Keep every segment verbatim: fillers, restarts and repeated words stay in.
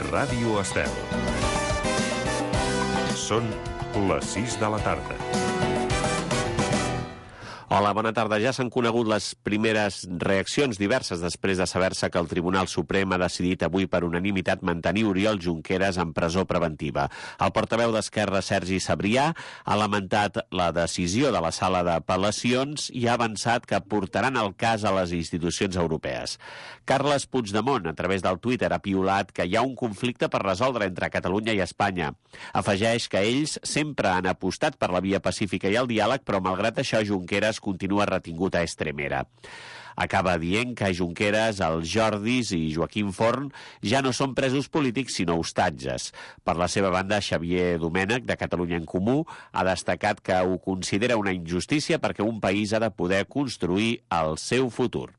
Ràdio Estel. Són les sis de la tarda. Hola, bona tarda. Ja s'han conegut les primeres reaccions diverses després de saber-se que el Tribunal Suprem ha decidit avui per unanimitat mantenir Oriol Junqueras en presó preventiva. El portaveu d'Esquerra, Sergi Sabrià, ha lamentat la decisió de la sala d'apel·lacions i ha avançat que portaran el cas a les institucions europees. Carles Puigdemont, a través del Twitter, ha piulat que hi ha un conflicte per resoldre entre Catalunya i Espanya. Afegeix que ells sempre han apostat per la via pacífica i el diàleg, però malgrat això Junqueras continua retingut a Estremera. Acaba dient que Junqueras, el Jordis i Joaquim Forn ja no són presos polítics sinó hostatges. Per la seva banda, Xavier Domènech, de Catalunya en Comú, ha destacat que ho considera una injustícia perquè un país ha de poder construir el seu futur.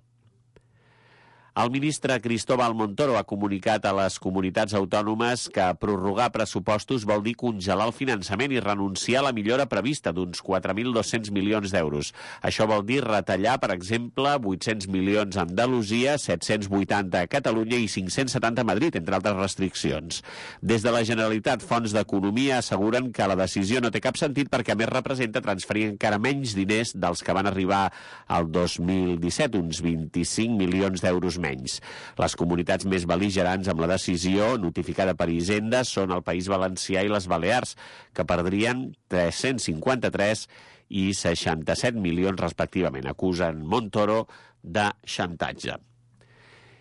El ministre Cristóbal Montoro ha comunicat a les comunitats autònomes que prorrogar pressupostos vol dir congelar el finançament i renunciar a la millora prevista d'uns quatre mil dos-cents milions d'euros. Això vol dir retallar, per exemple, vuit-cents milions a Andalusia, set-cents vuitanta a Catalunya i cinc-cents setanta a Madrid, entre altres restriccions. Des de la Generalitat, fonts d'economia asseguren que la decisió no té cap sentit perquè a més representa transferir encara menys diners dels que van arribar al dos mil disset, uns vint-i-cinc milions d'euros menys. Les comunitats més bel·ligerants amb la decisió notificada per Hisenda són el País Valencià i les Balears, que perdrien tres-cents cinquanta-tres i seixanta-set milions respectivament. Acusen Montoro de xantatge.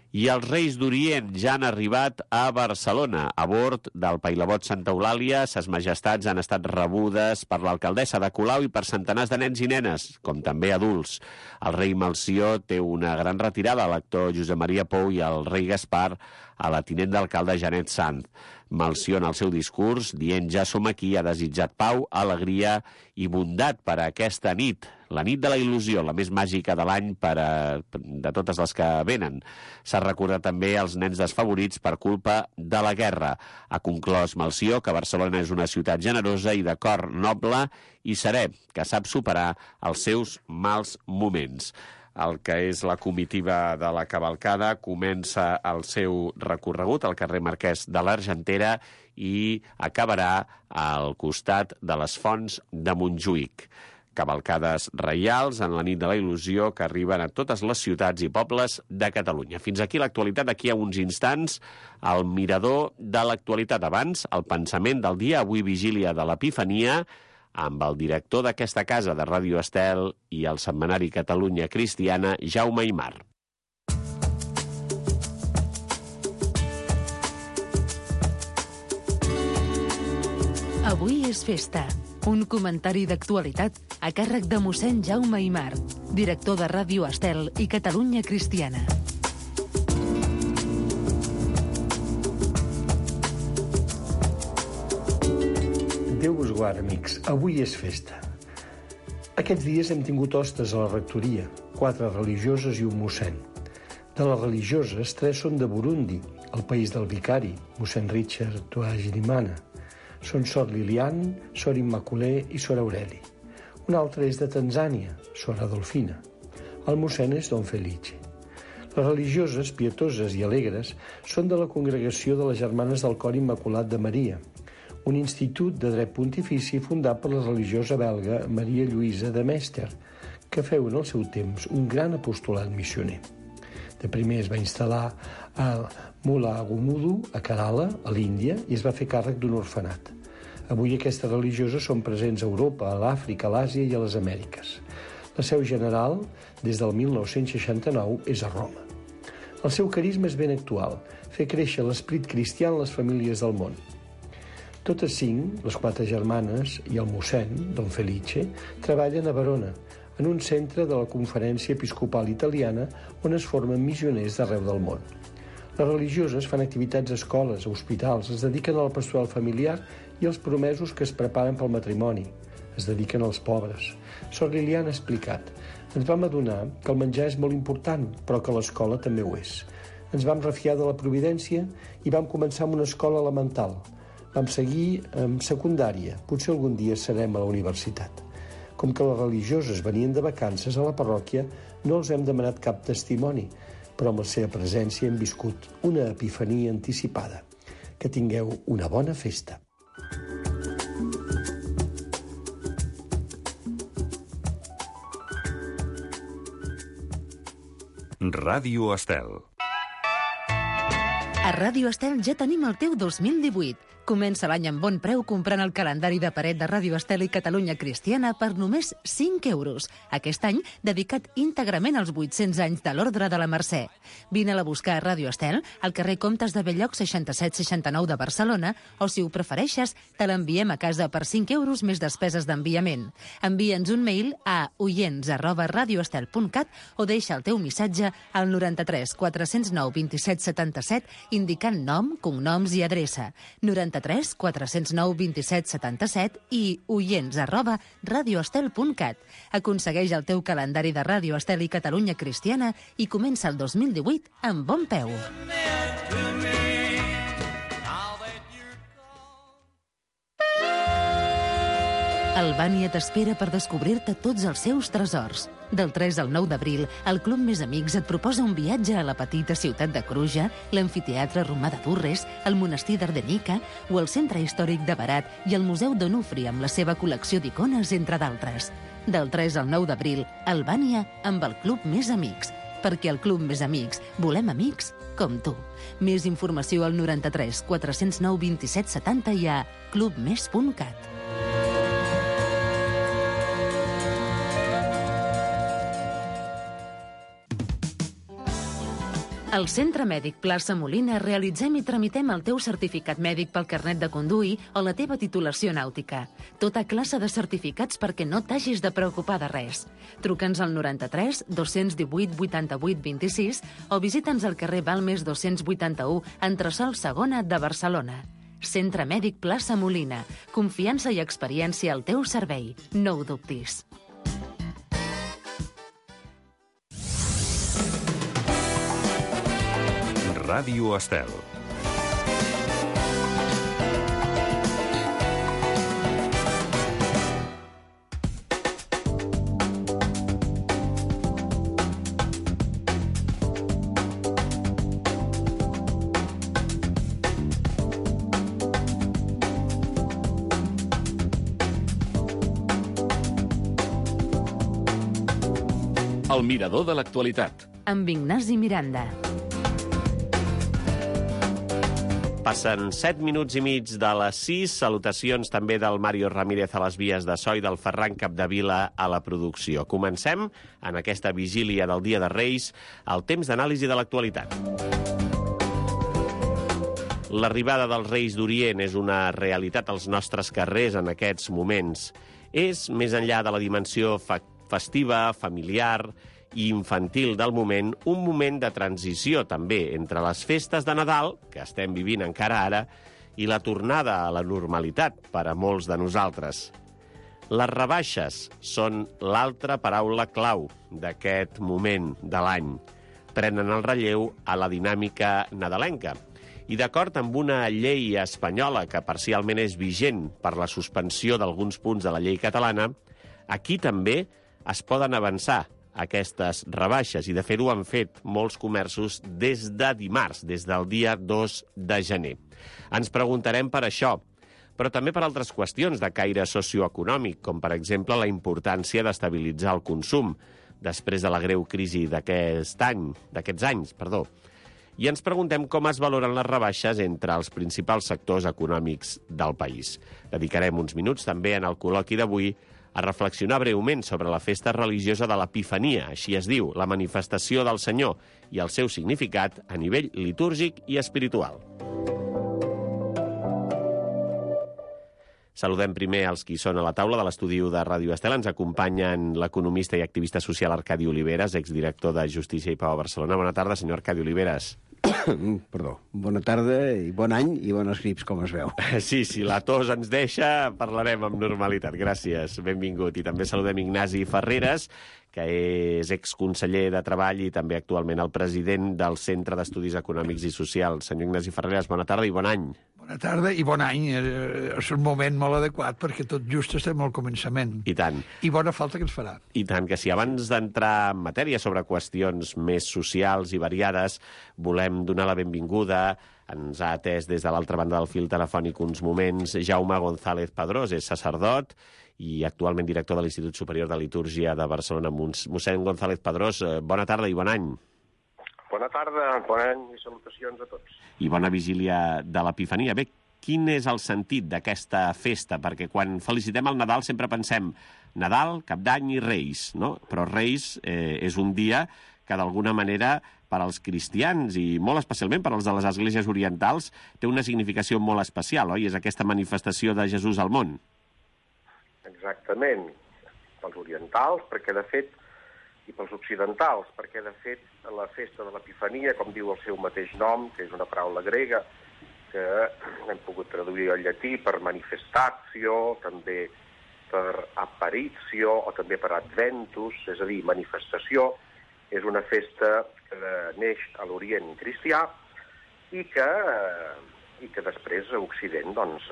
I els Reis d'Orient ja han arribat a Barcelona. A bord del Pailabot Santa Eulàlia, ses majestats han estat rebudes per l'alcaldessa de Colau i per centenars de nens i nenes, com també adults. El rei Melcior té una gran retirada a l'actor Josep Maria Pou i el rei Gaspar a la tinent d'alcalde Janet Sanz. Melcior, en el seu discurs, dient ja som aquí, ha desitjat pau, alegria i bondat per a aquesta nit, la nit de la il·lusió, la més màgica de l'any per a, de totes les que venen. S'ha recordat també els nens desfavorits per culpa de la guerra. Ha conclòs Melcior que Barcelona és una ciutat generosa i de cor noble i serè, que sap superar els seus mals moments. El que és la comitiva de la cavalcada comença el seu recorregut al carrer Marquès de l'Argentera i acabarà al costat de les Fonts de Montjuïc. Cavalcades reials en la nit de la il·lusió que arriben a totes les ciutats i pobles de Catalunya. Fins aquí l'actualitat. D'aquí a uns instants, el mirador de l'actualitat. Abans, el pensament del dia, avui vigília de l'Epifania, amb el director d'aquesta casa de Ràdio Estel i el setmanari Catalunya Cristiana, Jaume Aymar. Avui és festa. Un comentari d'actualitat a càrrec de mossèn Jaume Aymar, director de Ràdio Estel i Catalunya Cristiana. Déu vos guard, amics. Avui és festa. Aquests dies hem tingut hostes a la rectoria, quatre religioses i un mossèn. De les religioses, tres són de Burundi, el país del vicari, mossèn Richard Twagirimana. Són Sor Lilian, Sor Immaculée i Sor Aureli. Un altre és de Tanzània, Sor Adolfina. El mossèn és Don Felice. Les religioses, pietoses i alegres són de la congregació de les Germanes del Cor Immaculat de Maria, un institut de dret pontifici fundat per la religiosa belga Maria Lluïsa de Mester, que feu en el seu temps un gran apostolat missioner. De primer es va instal·lar a Mulagumudu, a Kerala, a l'Índia, i es va fer càrrec d'un orfenat. Avui aquestes religioses són presents a Europa, a l'Àfrica, a l'Àsia i a les Amèriques. La seu general, des del mil nou-cents seixanta-nou, és a Roma. El seu carisma és ben actual, fer créixer l'esperit cristià en les famílies del món. Totes cinc, les quatre germanes i el mossèn, Don Felice, treballen a Verona, en un centre de la Conferència Episcopal Italiana on es formen missioners d'arreu del món. Les religioses fan activitats a escoles, a hospitals, es dediquen al pastoral familiar i als promesos que es preparen pel matrimoni. Es dediquen als pobres. Sor Liliana ha explicat: ens vam adonar que el menjar és molt important, però que l'escola també ho és. Ens vam refiar de la providència i vam començar amb una escola elemental. Vam seguir amb secundària. Potser algun dia serem a la universitat. Com que les religioses venien de vacances a la parròquia, no els hem demanat cap testimoni, però amb la seva presència hem viscut una epifania anticipada. Que tingueu una bona festa. Ràdio Estel. A Ràdio Estel ja tenim el teu dos mil divuit. Comença l'any amb bon preu comprant el calendari de paret de Ràdio Estel i Catalunya Cristiana per només cinc euros. Aquest any dedicat íntegrament als vuit-cents anys de l'Ordre de la Mercè. Vine-la a buscar a Ràdio Estel, al carrer Comtes de Belllloc seixanta-set seixanta-nou de Barcelona, o si ho prefereixes, te l'enviem a casa per cinc euros més despeses d'enviament. Envia'ns un mail a oients arroba radioestel punt cat o deixa el teu missatge al noranta-tres quatre-cents nou vint-i-set setanta-set indicant nom, cognoms i adreça. noranta-tres quatre-cents nou vint-i-set setanta-set i oients arroba radioestel punt cat. Aconsegueix el teu calendari de Ràdio Estel i Catalunya Cristiana i comença el dos mil divuit amb bon peu. Albània t'espera per descobrir-te tots els seus tresors. Del tres al nou d'abril, el Club Més Amics et proposa un viatge a la petita ciutat de Cruja, l'amfiteatre romà de Durres, el monestir d'Ardenica o el centre històric de Barat i el Museu d'Onufri amb la seva col·lecció d'icones, entre d'altres. Del tres al nou d'abril, Albània amb el Club Més Amics. Perquè al Club Més Amics volem amics com tu. Més informació al noranta-tres quatre-cents nou vint-i-set setanta i a clubmes punt cat. Al Centre Mèdic Plaça Molina realitzem i tramitem el teu certificat mèdic pel carnet de conduir o la teva titulació nàutica. Tota classe de certificats perquè no t'hagis de preocupar de res. Truca'ns al noranta-tres dos-cents divuit vuitanta-vuit vint-i-sis o visita'ns al carrer Balmes dos-cents vuitanta-u, entresòl segona de Barcelona. Centre Mèdic Plaça Molina. Confiança i experiència al teu servei. No ho dubtis. Ràdio Estel. El mirador de l'actualitat. Amb Ignasi Miranda. Passen set minuts i mig de les sis. Salutacions també del Mario Ramírez a les vies de so i del Ferran Capdevila a la producció. Comencem, en aquesta vigília del Dia de Reis, el temps d'anàlisi de l'actualitat. L'arribada dels Reis d'Orient és una realitat als nostres carrers en aquests moments. És, més enllà de la dimensió fa- festiva, familiar i infantil del moment, un moment de transició també entre les festes de Nadal, que estem vivint encara ara, i la tornada a la normalitat per a molts de nosaltres. Les rebaixes són l'altra paraula clau d'aquest moment de l'any. Prenen el relleu a la dinàmica nadalenca. I d'acord amb una llei espanyola que parcialment és vigent per la suspensió d'alguns punts de la llei catalana, aquí també es poden avançar aquestes rebaixes, i de fet ho han fet molts comerços des de dimarts, des del dia dos de gener. Ens preguntarem per això, però també per altres qüestions de caire socioeconòmic, com per exemple la importància d'estabilitzar el consum després de la greu crisi d'aquest any, d'aquests anys, perdó. I ens preguntem com es valoren les rebaixes entre els principals sectors econòmics del país. Dedicarem uns minuts també en el col·loqui d'avui a reflexionar breument sobre la festa religiosa de l'Epifania, així es diu, la manifestació del Senyor, i el seu significat a nivell litúrgic i espiritual. Saludem primer els qui són a la taula de l'estudi de Ràdio Estel. Ens acompanyen l'economista i activista social Arcadi Oliveres, exdirector de Justícia i Pau a Barcelona. Bona tarda, senyor Arcadi Oliveres. Perdó. Bona tarda i bon any i bones grips, com es veu. Sí, si la tos ens deixa, parlarem amb normalitat. Gràcies, benvingut. I també saludem Ignasi Ferreres, que és exconseller de Treball i també actualment el president del Centre d'Estudis Econòmics i Socials. Senyor Ignasi Ferreres, bona tarda i bon any. Bona tarda i bon any. És un moment molt adequat perquè tot just estem al començament. I tant. I bona falta que ens farà. I tant, que si abans d'entrar en matèria sobre qüestions més socials i variades, volem donar la benvinguda Ens ha atès des de l'altra banda del fil telefònic uns moments Jaume González Padrós, és sacerdot i actualment director de l'Institut Superior de Litúrgia de Barcelona. Mossèn González Padrós, bona tarda i bon any. Bona tarda, bon any i salutacions a tots. I bona vigília de l'Epifania. Bé, quin és el sentit d'aquesta festa? Perquè quan felicitem el Nadal sempre pensem Nadal, Cap d'Any i Reis, no? Però Reis eh, és un dia que d'alguna manera per als cristians i molt especialment per als de les esglésies orientals té una significació molt especial, oi? És aquesta manifestació de Jesús al món. Exactament. Pels orientals, perquè de fet, i pels occidentals, perquè de fet la festa de l'Epifania, com diu el seu mateix nom, que és una paraula grega, que hem pogut traduir al llatí per manifestatio, també per apparitio o també per adventus, és a dir, manifestació. És una festa que neix a l'Orient cristià i que, i que després a Occident doncs,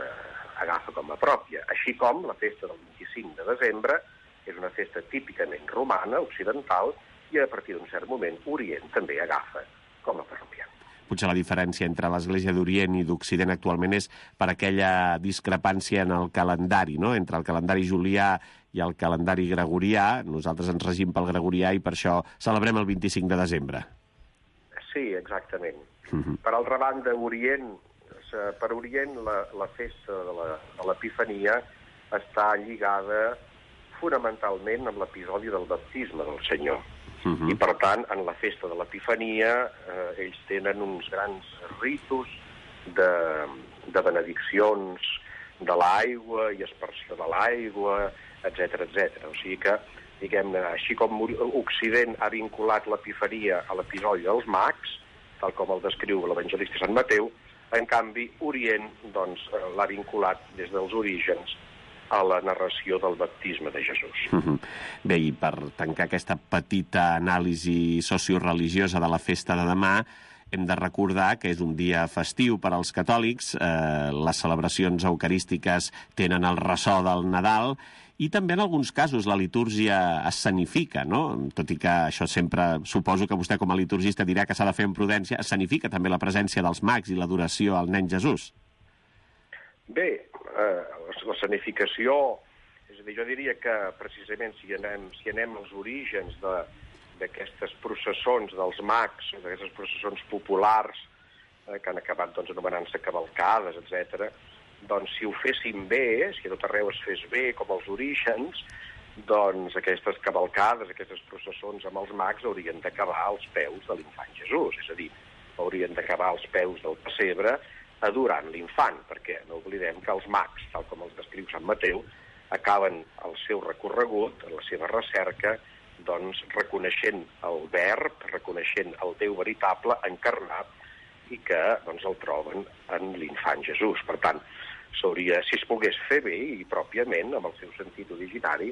agafa com a pròpia. Així com la festa del vint-i-cinc de desembre és una festa típicament romana, occidental, i a partir d'un cert moment Orient també agafa com a pròpia. Potser la diferència entre l'Església d'Orient i d'Occident actualment és per aquella discrepància en el calendari, no? Entre el calendari julià i el calendari gregorià. Nosaltres ens regim pel gregorià i per això celebrem el vint-i-cinc de desembre. Sí, exactament. Uh-huh. Per altra banda, Orient, per Orient la, la festa de l'Epifania està lligada fonamentalment amb l'episodi del baptisme del Senyor. Uh-huh. I, per tant, en la festa de l'Epifania eh, ells tenen uns grans ritus de, de benediccions de l'aigua i aspersió de l'aigua, etcètera, etcètera. O sigui que, diguem-ne, així com Occident ha vinculat l'Epifania a l'episodi dels mags, tal com el descriu l'evangelista Sant Mateu, en canvi, Orient doncs, l'ha vinculat des dels orígens a la narració del baptisme de Jesús. Uh-huh. Bé, i per tancar aquesta petita anàlisi socioreligiosa de la festa de demà, hem de recordar que és un dia festiu per als catòlics, eh, les celebracions eucarístiques tenen el ressò del Nadal, i també en alguns casos la litúrgia escenifica, no? Tot i que això sempre, suposo que vostè com a liturgista dirà que s'ha de fer amb prudència, escenifica també la presència dels mags i l'adoració al nen Jesús. Bé, eh, l'escenificació, és a dir, jo diria que precisament si anem, si anem als orígens d'aquestes processons dels mags, d'aquestes processons populars eh, que han acabat doncs, anomenant-se cavalcades, etcètera, doncs si ho féssim bé, si a tot arreu es fes bé com els orígens, doncs aquestes cavalcades, aquestes processons amb els mags haurien d'acabar als peus de l'infant Jesús, és a dir, haurien d'acabar als peus del pessebre adorant l'infant, perquè no oblidem que els mags, tal com els descriu Sant Mateu, acaben el seu recorregut, la seva recerca, doncs reconeixent el verb, reconeixent el Déu veritable encarnat i que doncs, el troben en l'infant Jesús. Per tant, s'hauria, si es pogués fer bé i pròpiament, amb el seu sentit originari,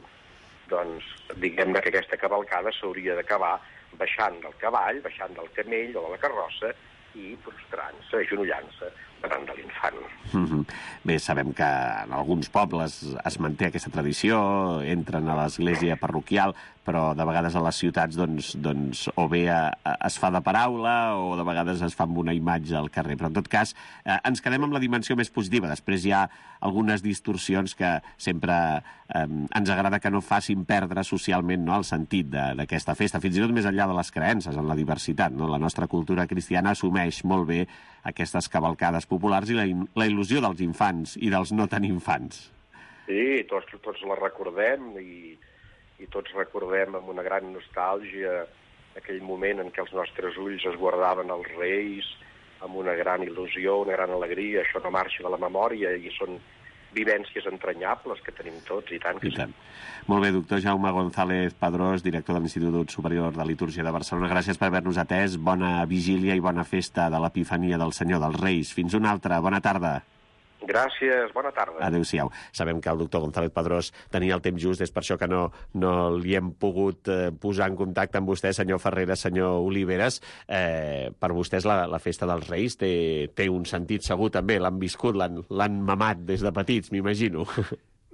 doncs diguem-ne que aquesta cavalcada s'hauria d'acabar baixant del cavall, baixant del camell o de la carrossa i prostrant-se, agenollant-se davant de l'infant. Mm-hmm. Bé, sabem que en alguns pobles es manté aquesta tradició, entren a l'església parroquial, però de vegades a les ciutats doncs, doncs, o bé a, a, es fa de paraula o de vegades es fa amb una imatge al carrer. Però en tot cas eh, ens quedem amb la dimensió més positiva. Després hi ha algunes distorsions que sempre eh, ens agrada que no facin perdre socialment, no, el sentit d'aquesta festa, fins i tot més enllà de les creences, en la diversitat. No? La nostra cultura cristiana assumeix molt bé aquestes cavalcades populars i la, la il·lusió dels infants i dels no tan infants. Sí, tots, tots la recordem i, i tots recordem amb una gran nostàlgia aquell moment en què els nostres ulls es guardaven els reis amb una gran il·lusió, una gran alegria. Això no marxa de la memòria i són vivències entranyables que tenim tots, i tant que I tant. Sí. Molt bé, doctor Jaume González Padrós, director de l'Institut Superior de Litúrgia de Barcelona. Gràcies per haver-nos atès. Bona vigília i bona festa de l'Epifania del Senyor dels Reis. Fins una altra. Bona tarda. Gràcies, bona tarda. Adéu-siau. Sabem que el doctor González Padrós tenia el temps just, és per això que no, no li hem pogut eh, posar en contacte amb vostè, senyor Ferreras, senyor Oliveres. Eh, per vostès la, la festa dels Reis té, té un sentit segur també, l'han viscut, l'han mamat des de petits, m'imagino.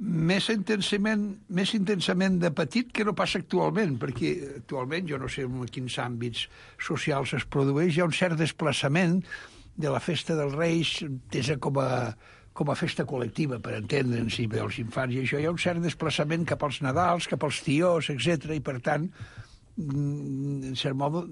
Més intensament, més intensament de petit que no passa actualment, perquè actualment, jo no sé en quins àmbits socials es produeix, hi ha un cert desplaçament de la festa dels Reis entesa com a, com a festa col·lectiva, per entendre'ns, i els infants i això. Hi ha un cert desplaçament cap als Nadals, cap als tiós, etcètera, i per tant, en cert modo,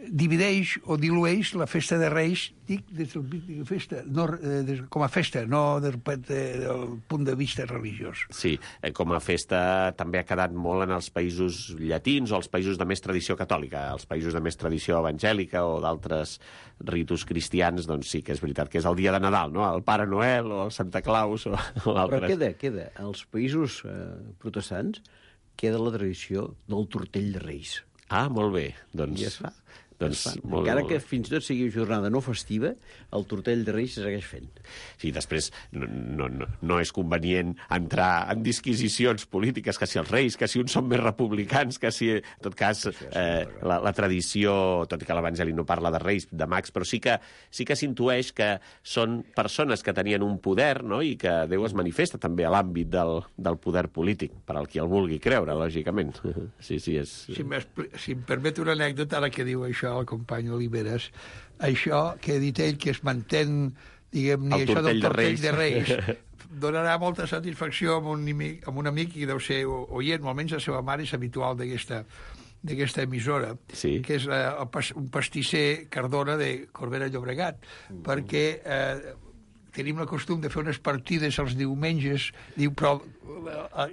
divideix o dilueix la festa de Reis, dic, des del punt de festa, no, eh, des, com a festa, no des del punt de vista religiós. Sí, eh, com a festa també ha quedat molt en els països llatins o els països de més tradició catòlica. Els països de més tradició evangèlica o d'altres ritus cristians, doncs sí que és veritat que és el dia de Nadal, no? El Pare Noel o el Santa Claus o, o altres. Però queda, queda. Als països eh, protestants queda la tradició del tortell de Reis. Ah, molt bé. Doncs... I es fa. Doncs, molt, encara que fins i tot sigui jornada no festiva, el tortell de Reis se segueix fent. Sí, després no, no, no, no és convenient entrar en disquisicions polítiques, que si els Reis, que si uns són més republicans, que si, en tot cas, eh, la, la tradició, tot i que l'Evangeli no parla de Reis, de mags, però sí que sí que s'intueix que són persones que tenien un poder, no?, i que Déu es manifesta també a l'àmbit del, del poder polític, per al qui el vulgui creure, lògicament. Sí, sí, és... Si, si em permet una anècdota, ara que diu això, el company Oliveres, això que ha dit ell, que es mantén, diguem-ne, això del tortell de Reis, donarà molta satisfacció amb un, amic, amb un amic i deu ser oient, almenys la seva mare és habitual d'aquesta d'aquesta emissora, sí. Que és uh, un pastisser Cardona de Corbera Llobregat, mm. perquè eh, tenim el costum de fer unes partides els diumenges, diu, però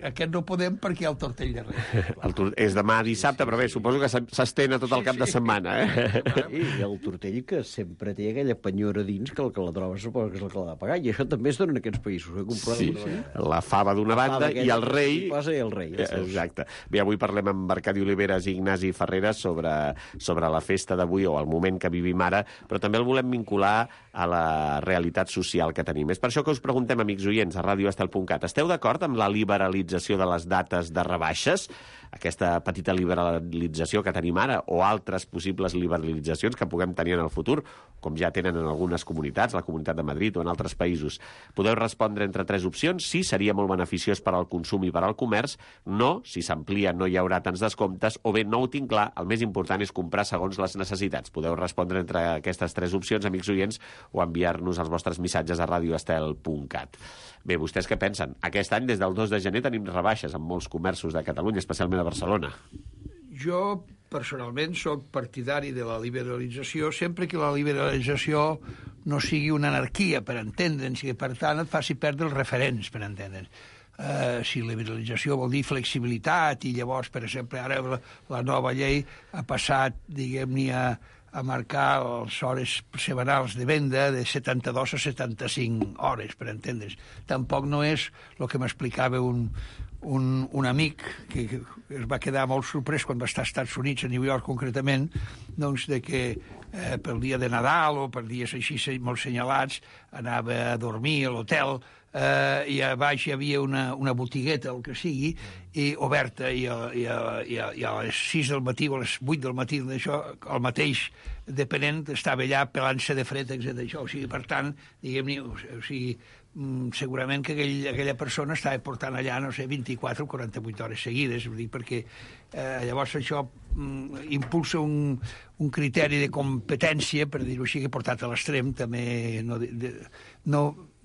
aquest no podem perquè hi ha el tortell de Reis. El tor és demà dissabte, però bé, suposo que s'estén a tot el cap sí, sí. de setmana, eh? I, I el tortell que sempre té aquella penyora dins que el que la troba suposo que és el que l'ha de pagar, i això també es dona en aquests països. Sí, sí. La fava d'una banda i el rei... Posa i el rei. Exacte. Bé, avui parlem amb Arcadi Oliveres i Ignasi Ferreres sobre, sobre la festa d'avui o el moment que vivim ara, però també el volem vincular a la realitat social que tenim. És per això que us preguntem, amics oients, a radio estel punt cat, esteu d'acord amb la liberalització de les dates de rebaixes, aquesta petita liberalització que tenim ara, o altres possibles liberalitzacions que puguem tenir en el futur, com ja tenen en algunes comunitats, la Comunitat de Madrid o en altres països? Podeu respondre entre tres opcions: sí, seria molt beneficiós per al consum i per al comerç; no, si s'amplia no hi haurà tants descomptes; o bé, no ho tinc clar, el més important és comprar segons les necessitats. Podeu respondre entre aquestes tres opcions, amics oients, o enviar-nos els vostres missatges a radio estel punt cat. Bé, vostès què pensen? Aquest any, des del dos de gener, tenim rebaixes en molts comerços de Catalunya, especialment a Barcelona. Jo, personalment, sóc partidari de la liberalització sempre que la liberalització no sigui una anarquia, per entendre'ns, i que, per tant, et faci perdre els referents, per entendre'ns. Uh, si liberalització vol dir flexibilitat, i llavors, per exemple, ara la, la nova llei ha passat, diguem-ne, a, a marcar les hores setmanals de venda de setanta-dues a setanta-cinc hores, per entendre's. Tampoc no és el que m'explicava un, un, un amic que, que es va quedar molt sorprès quan va estar als Estats Units, a New York concretament, doncs de que eh, pel dia de Nadal o per dies així molt senyalats anava a dormir a l'hotel, eh, i a baix hi havia una, una botigueta, el que sigui, i oberta, i a, i, a, i, a, i a les sis del matí o a les vuit del matí, això, el mateix depenent estava allà pelant-se de fred, etcètera. Això, o sigui, per tant, diguem-ne, o sigui, segurament que aquell, aquella persona estava portant allà, no sé, vint-i-quatre o quaranta-vuit hores seguides, vull dir, perquè eh, llavors això mm, impulsa un, un criteri de competència, per dir-ho així, que portat a l'extrem també no, de, no,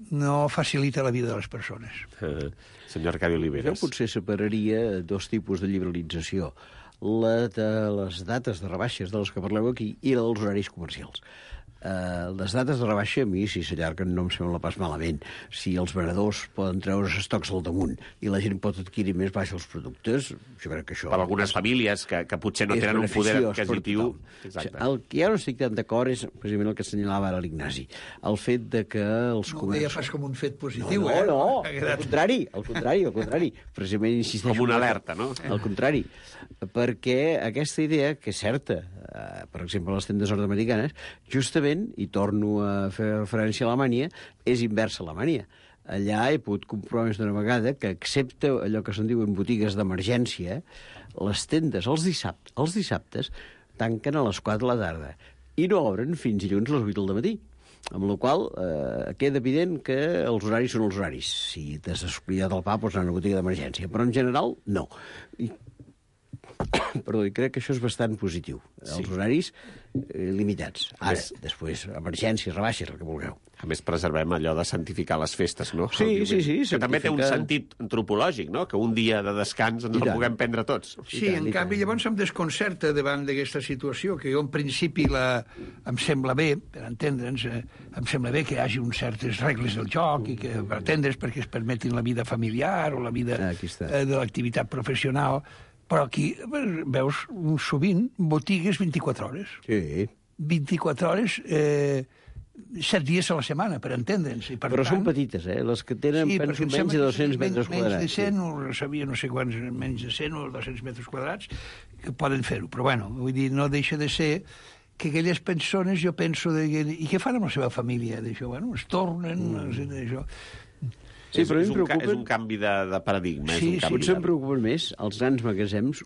no facilita la vida de les persones. Uh, senyor Arcadi Oliveres. Jo potser separaria dos tipus de liberalització: la de les dates de rebaixes de les que parleu aquí i la dels horaris comercials. Uh, les dates de rebaixa, a mi, si s'allarguen, no em sembla pas malament. Si els venedors poden treure els estocs al damunt i la gent pot adquirir més baix els productes, jo crec que això... Per algunes famílies que, que potser no tenen un poder adquisitiu... Exacte. El que ja no estic tan d'acord és, precisament, el que assenyalava ara l'Ignasi. El fet de que els no comerços... No ho deia pas com un fet positiu, no, eh? No, no, al contrari, al contrari, al contrari. Precisament insisteixo... Com una alerta, no? Al contrari, perquè aquesta idea, que és certa, eh, per exemple, a les tendes nord-americanes, justament, i torno a fer referència a Alemanya, és inversa a Alemanya. Allà he pogut comprovar més d'una vegada que, excepte allò que se'n diuen botigues d'emergència, les tendes els dissabtes, els dissabtes tanquen a les quatre de la tarda i no obren fins dilluns a les vuit del matí. Amb la qual eh, queda evident que els horaris són els horaris. Si t'has descuidat el pa, pots anar a una botiga d'emergència. Però en general, no. I perdó, i crec que això és bastant positiu. Els Sí. horaris eh, limitats. Ara, Més- després, emergències, rebaixes, el que vulgueu. A més, preservem allò de santificar les festes, no? Sí, El diumenge. sí, sí, Que també té un santificar. sentit antropològic, no? Que un dia de descans ens I el tant. puguem prendre tots. Sí, tant, en i canvi, tant. llavors em desconcerta davant d'aquesta situació, que jo en principi la, em sembla bé, per entendre'ns, eh, em sembla bé que hi hagi uns certes regles del joc i que, per entendre's, perquè es permetin la vida familiar o la vida Ah, aquí està. eh, de l'activitat professional, però aquí eh, veus sovint botigues vint-i-quatre hores. Sí. vint-i-quatre hores, eh, set dies a la setmana, per entendre'ns. I per Però tant, són petites, eh? Les que tenen, Sí, penso, perquè em menys sembla de que dos-cents sí, metres menys, quadrats. Menys de cent, sí. o sabia no sé quants, menys de cent o dos-cents metres quadrats, que poden fer-ho. Però, bueno, vull dir, no deixa de ser que aquelles persones, jo penso, de, i què fan amb la seva família, d'això? Bueno, es tornen, mm. no sé, d'això. Sí, és, però a mi és, em un, ca- és preocupen- un canvi de, de paradigma. Sí, és un canvi Potser de... em preocupen més els grans magatzems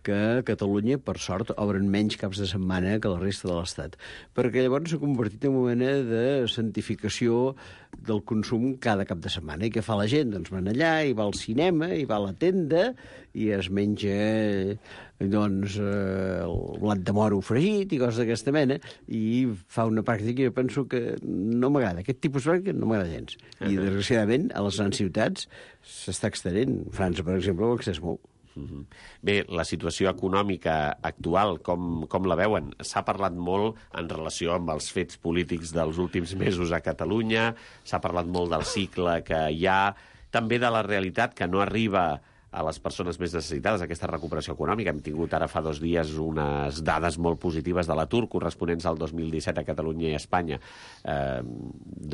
que a Catalunya, per sort, obren menys caps de setmana que la resta de l'Estat. Perquè llavors s'ha convertit en una mena de santificació del consum cada cap de setmana. I què fa la gent? Doncs van allà, i va al cinema, i va a la tenda, i es menja doncs, eh, el blat de moro fregit i coses d'aquesta mena, i fa una pràctica que jo penso que no m'agrada. Aquest tipus de pràctica no m'agrada gens. I, desgraciadament, a les grans ciutats s'està extenent. França, per exemple, ho ha extès molt. Mhm. Bé, la situació econòmica actual, com, com la veuen? S'ha parlat molt en relació amb els fets polítics dels últims mesos a Catalunya, s'ha parlat molt del cicle que hi ha, també de la realitat que no arriba a les persones més necessitades, aquesta recuperació econòmica. Hem tingut ara fa dos dies unes dades molt positives de l'atur corresponents al dos mil disset a Catalunya i a Espanya. Eh,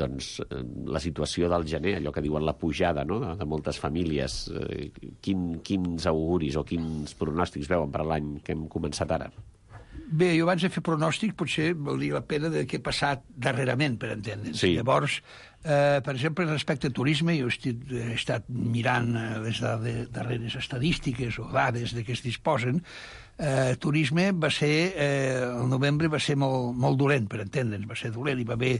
doncs eh, la situació del gener, allò que diuen la pujada, no?, de, de moltes famílies, eh, quin, quins auguris o quins pronòstics veuen per l'any que hem començat ara? Bé, jo abans de fer pronòstic potser valdria la pena de què ha passat darrerament, per entendre'ns. Sí. Llavors, eh, per exemple, respecte a turisme, jo he estat, he estat mirant eh, les dades, darreres estadístiques o dades de què es disposen. Eh, turisme va ser, eh, el novembre va ser molt, molt dolent, per entendre'ns, va ser dolent, hi va haver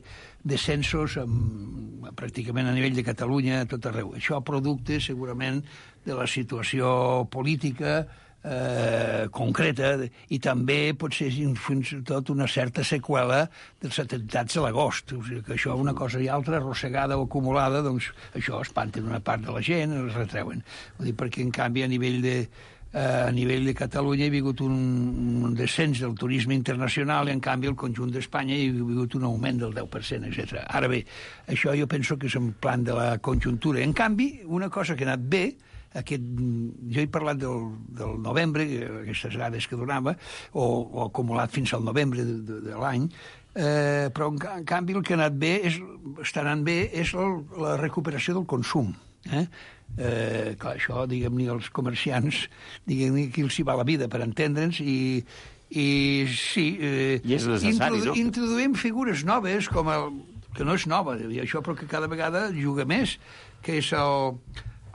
descensos amb, pràcticament a nivell de Catalunya, a tot arreu. Això producte, segurament, de la situació política eh, concreta, i també potser fins i tot una certa seqüela dels atemptats de l'agost. O sigui que això, una cosa i altra, arrossegada o acumulada, doncs això espanta una part de la gent, els retreuen. Vull dir, perquè en canvi a nivell de, eh, a nivell de Catalunya hi ha hagut un, un descens del turisme internacional i en canvi el conjunt d'Espanya hi ha hagut un augment del deu per cent, etcètera. Ara bé, això jo penso que és un plan de la conjuntura. En canvi, una cosa que ha anat bé, aquest, jo he parlat del, del novembre, aquestes dades que donava, o, o acumulat fins al novembre de, de, de l'any, eh, però en, en canvi el que ha anat bé, és, està anant bé, és el, la recuperació del consum. Eh? Eh, clar, això, diguem-ne, els comerciants, diguem-ne, qui els hi va la vida, per entendre'ns, i, i sí... Eh, I és necessari, introdu no? Introduïm figures noves, com el, que no és nova, i això, però que cada vegada juga més, que és el,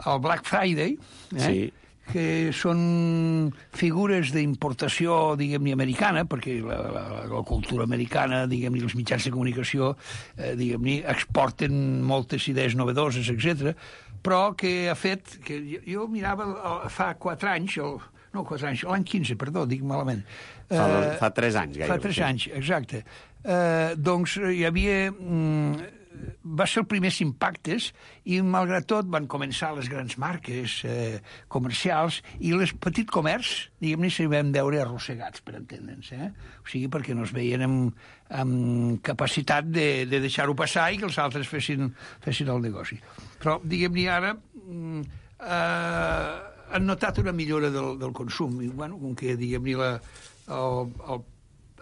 el Black Friday, eh? Sí. Que són figures d'importació, diguem-ne, americana, perquè la, la, la cultura americana, diguem-ne, els mitjans de comunicació, eh, diguem-ne, exporten moltes idees novedoses, etcètera, però que ha fet... que jo, jo mirava el, fa quatre anys, el, no quatre anys, l'any quinze, perdó, dic malament. Fa, Eh, fa tres anys, gairebé. Fa tres anys, exacte. Eh, doncs hi havia... Mm, va ser els primers impactes i, malgrat tot, van començar les grans marques eh, comercials i les petit comerç, diguem-ne, s'hi vam veure arrossegats, per entendre'ns. Eh? O sigui, perquè no es veien amb, amb capacitat de, de deixar-ho passar i que els altres fessin, fessin el negoci. Però, diguem-ne, ara mm, eh, han notat una millora del, del consum. I, bueno, com que, diguem-ne, la, el, el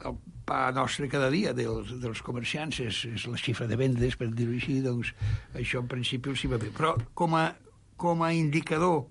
el pa nostre cada dia dels, dels comerciants és, és la xifra de vendes, per dir-ho així, doncs això en principi els hi va bé. Però com a, com a indicador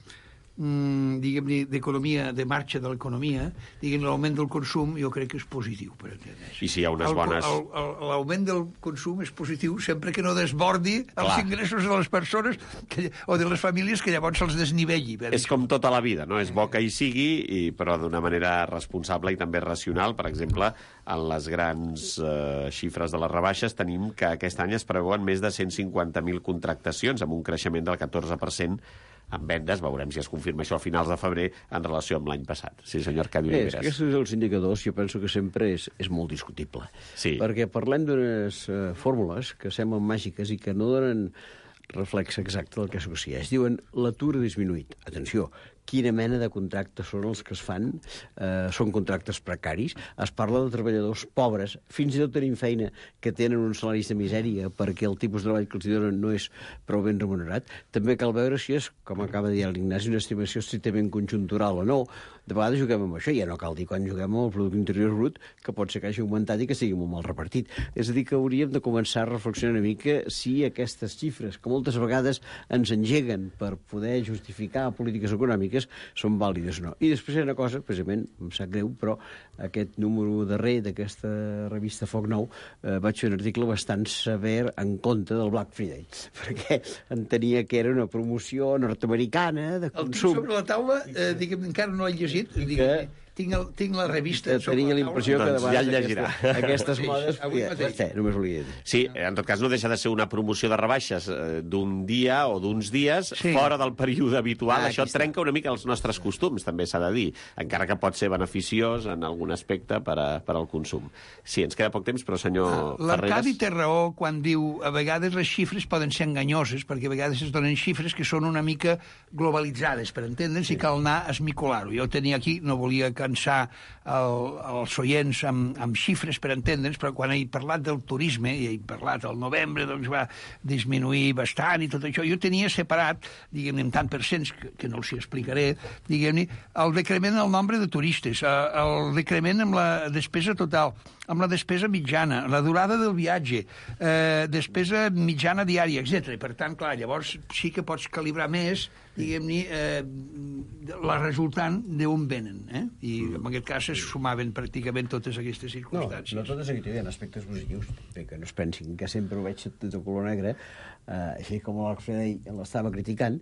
mm, diguem-ne, d'economia, de marxa de l'economia, diguem l'augment del consum jo crec que és positiu, per entendre's. I si hi ha unes El- bones... el- el- L'augment del consum és positiu sempre que no desbordi Clar. els ingressos de les persones que, o de les famílies, que llavors els desnivelli. per És com tota la vida, no? És bo que hi sigui, i, però d'una manera responsable i també racional. Per exemple, en les grans eh, xifres de les rebaixes tenim que aquest any es preveuen més de cent cinquanta mil contractacions, amb un creixement del catorze per cent en vendes, veurem si es confirma això a finals de febrer en relació amb l'any passat. Sí, senyor Arcadi Oliveres. És, aquests els indicadors jo penso que sempre és, és molt discutible. Sí. Perquè parlem d'unes uh, fórmules que semblen màgiques i que no donen reflex exacte del que succeeix. Diuen l'atur ha disminuït. Atenció, quina mena de contractes són els que es fan? Eh, són contractes precaris. Es parla de treballadors pobres, fins i tot tenint feina, que tenen uns salaris de misèria perquè el tipus de treball que els donen no és prou ben remunerat. També cal veure si és, com acaba de dir l'Ignasi, una estimació estrictament conjuntural o no. De vegades juguem amb això, ja no cal dir quan juguem amb el producte interior brut, que pot ser que hagi augmentat i que sigui molt mal repartit. És a dir, que hauríem de començar a reflexionar una mica si aquestes xifres, que moltes vegades ens engeguen per poder justificar polítiques econòmiques, són vàlides o no. I després hi ha una cosa, precisament, em sap greu, però aquest número darrer d'aquesta revista Foc Nou eh, vaig fer un article bastant sever en contra del Black Friday, perquè entenia que era una promoció nord-americana de consum. El tinc sobre la taula, eh, diguem, encara no he llegit, diguem, tinc, el, tinc la revista sobre tenia la la impressió que doncs de ja el vegades llegirà. aquesta, aquestes Sí, modes... avui Ja, mateix. ja, només volia dir. Sí, en tot cas no deixa de ser una promoció de rebaixes eh, d'un dia o d'uns dies Sí. fora del període habitual. Ah, Això aquí està. trenca una mica els nostres costums, també s'ha de dir, encara que pot ser beneficiós en algun aspecte per, a, per al consum. Sí, ens queda poc temps, però senyor L'Arcadi Ferreres... té raó quan diu a vegades les xifres poden ser enganyoses, perquè a vegades es donen xifres que són una mica globalitzades, per entendre'ns, sí. I cal anar a esmicolar-ho. Jo tenia aquí, no volia cansar el, els oients amb, amb xifres, per entendre'ns, però quan he parlat del turisme, i he parlat al novembre, doncs va disminuir bastant i tot això, jo tenia separat, diguem-ne, en tant per cents, que, que no els hi explicaré, diguem-ne, el decrement del nombre de turistes, el decrement amb la despesa total, amb la despesa mitjana, la durada del viatge, eh, despesa mitjana diària, etcètera. Per tant, clar, llavors sí que pots calibrar més, diguem-ne, eh, la resultant d'on venen. Eh? I en aquest cas es sumaven pràcticament totes aquestes No, circumstàncies. no totes aquí tenen aspectes positius, bé, que no es pensin que sempre ho veig de color negre, eh, així com l'Alfred l'estava criticant.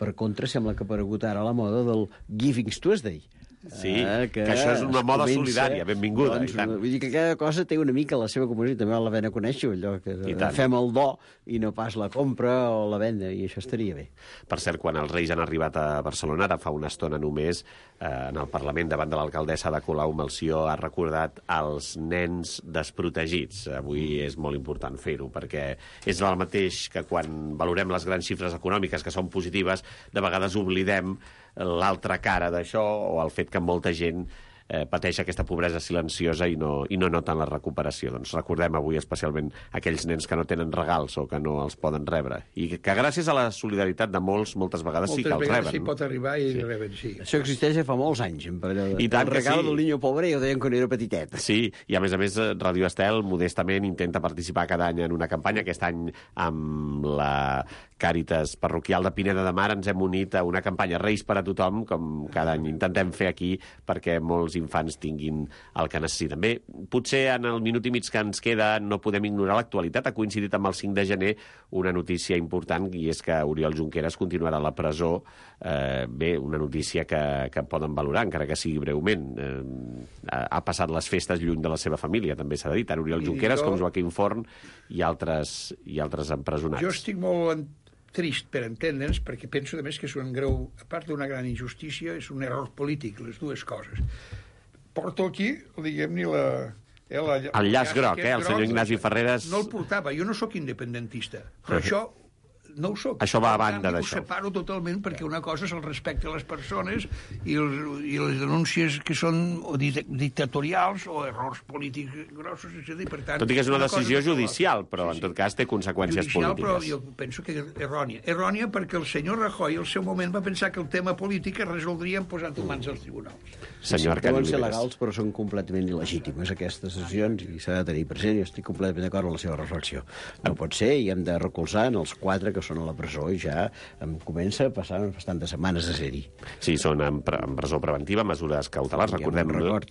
Per contra, sembla que ha aparegut ara la moda del Giving Tuesday. Sí, eh, que, que això és una moda comença, solidària, benvinguda. Doncs, i tant. Vull dir que cada cosa té una mica la seva comunitat, també val la pena conèixer allò, que fem el do i no pas la compra o la venda, i això estaria bé. Per cert, quan els Reis han arribat a Barcelona, ara fa una estona només, eh, en el Parlament, davant de l'alcaldessa de Colau, Melcior ha recordat els nens desprotegits. Avui és molt important fer-ho, perquè és el mateix que quan valorem les grans xifres econòmiques, que són positives, de vegades oblidem l'altra cara d'això, o el fet que molta gent eh, pateix aquesta pobresa silenciosa i no, i no noten la recuperació. Doncs recordem avui especialment aquells nens que no tenen regals o que no els poden rebre. I que, que gràcies a la solidaritat de molts, moltes vegades Moltes sí que els vegades reben. sí pot arribar i Sí. reben, sí. Això existeix ja fa molts anys, en període. I tant el que regal sí. del niño pobre, jo deien quan era petitet. Sí, i a més a més Radio Estel modestament intenta participar cada any en una campanya. Aquest any amb la Càritas Parroquial de Pineda de Mar ens hem unit a una campanya Reis per a tothom, com cada any intentem fer aquí, perquè molts infants tinguin el que necessiten. Bé, potser en el minut i mig que ens queda no podem ignorar l'actualitat. Ha coincidit amb el cinc de gener una notícia important, i és que Oriol Junqueras continuarà a la presó. Eh, bé, una notícia que, que poden valorar, encara que sigui breument. Eh, ha passat les festes lluny de la seva família, també s'ha de dir, tant Oriol I Junqueras jo- com Joaquim Forn i altres, i altres empresonats. Jo estic molt en- trist, per entendre'ns, perquè penso, a més, que és un greu, a part d'una gran injustícia, és un error polític, les dues coses. Porto aquí, diguem-ne, la... Eh, la El llaç groc, aquest eh, el senyor groc, Ignasi Ferreres. No el portava, jo no sóc independentista, però això no ho soc. Això va a Per banda tant, d'això. Ho separo totalment, perquè una cosa és el respecte a les persones i, els, i les denúncies que són o di- dictatorials o errors polítics grossos, és a dir, per tant... Tot i que és una cosa decisió no és judicial, però Sí, en sí. tot cas té conseqüències Judicial, però polítiques. jo penso que és errònia. Errònia perquè el senyor Rajoy al seu moment va pensar que el tema polític es resoldria posant-ho en mans als tribunals. Senyor Arcadi Deuen ser Oliveres. legals, però són completament il·legítimes aquestes decisions i s'ha de tenir present. Jo estic completament d'acord amb la seva reflexió. No pot ser, i hem de recolzar en els quatre que són a la presó, i ja em comença a passar bastantes setmanes a ser-hi. Sí, són en, pre en presó preventiva, mesures cautelars, I amb recordem... un record.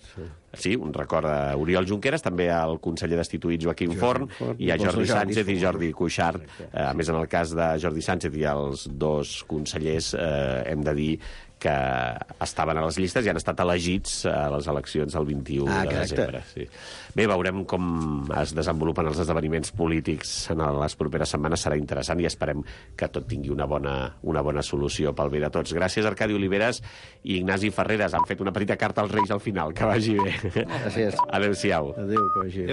Sí, un record a Oriol Junqueras, també al conseller destituït Joaquim Forn, Forn, i a i Jordi Jordi Sánchez i Forn. Jordi Cuixart. Eh, a més, en el cas de Jordi Sánchez i els dos consellers, eh, hem de dir que estaven a les llistes i han estat elegits a les eleccions el vint-i-u Ah, de exacte. desembre. Sí. Bé, veurem com es desenvolupen els esdeveniments polítics en les properes setmanes. Serà interessant i esperem que tot tingui una bona, una bona solució pel bé de tots. Gràcies, Arcadi Oliveres i Ignasi Ferreres. Han fet una petita carta als Reis al final. Que vagi bé. Gràcies. Adéu-siau. Adéu, que vagi bé.